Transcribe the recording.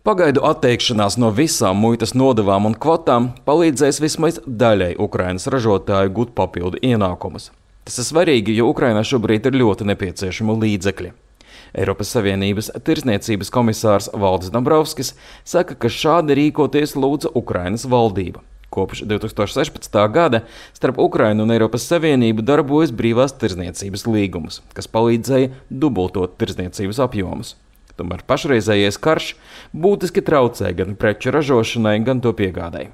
Pagaidu atteikšanās no visām muitas nodevām un kvotām palīdzēs vismaz daļai Ukrainas ražotāju gūt papildu ienākumus. Tas ir svarīgi, jo Ukrainā šobrīd ir ļoti nepieciešami līdzekļi. Eiropas Savienības tirsniecības komisārs Valdis Dombrovskis saka, ka šādi rīkoties lūdza Ukrainas valdība. Kopš 2016. gada starp Ukrainu un Eiropas Savienību darbojas brīvās tirsniecības līgums, kas palīdzēja dubultot tirsniecības apjomus. Tomēr pašreizējais karš būtiski traucē gan preču ražošanai, gan to piegādai.